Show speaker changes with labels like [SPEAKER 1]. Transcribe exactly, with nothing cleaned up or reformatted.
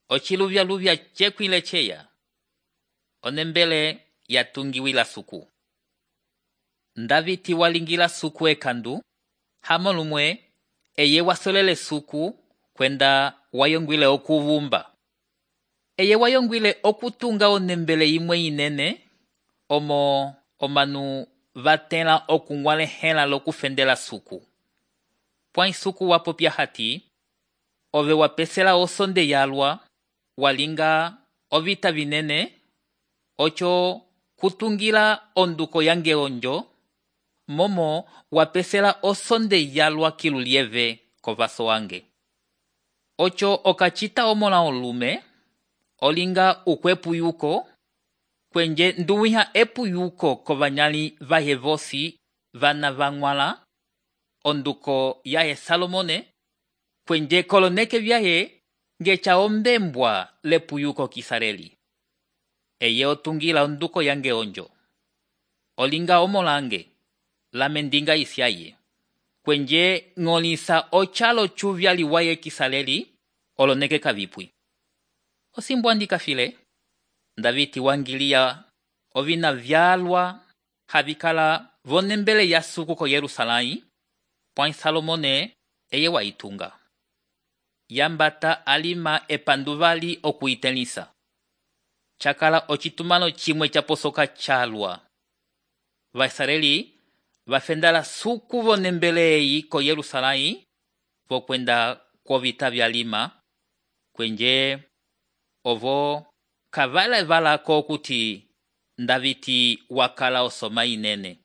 [SPEAKER 1] ociluvyaluvya cekwile ceya, onembele yatungiwila suku. Ndaviti walingila suku ekandu, hamo lumwe eye wasolele suku kwenda wayongwile okuvumba. Eye wayongwile okutunga onembele imwe inene, omo omanu vatela okungwalehela lokufendela suku. Pwai suku wapopya hati, ove wapesela osonde yalwa, walinga ovita vinene, ocho kutungila onduko yange onjo, momo wapesela osonde yalwa kilulieve kovaso wange. Ocho okachita omola olume, olinga ukwepuyuko, kwenje nduwiha epuyuko kovanyali vahevosi vana vangwala, onduko yahe Salomone, kwenje koloneke vyahe ngecha ombembwa lepuyuko kisareli. Eye otungila onduko yange onjo. Olinga omolange, la mendinga isyaye. Kwenje ngolisa ochalo chuvyali waye kisareli, oloneke kavipwi. Osimbwandika file, Ndaviti wangilia ovina vyalwa havikala vonembele ya suku ko Yerusalai, pwai Salomone eye waitunga. Yambata alima epanduvali okuitelisa. Chakala ochitumano chimwe chaposoka chalwa. Vaisraeli vafendala suku vonembelei ko Yerusalai, vokwenda kovita vyalima, kwenje ovo kavala vala ko kuti Ndaviti wakala osoma inene.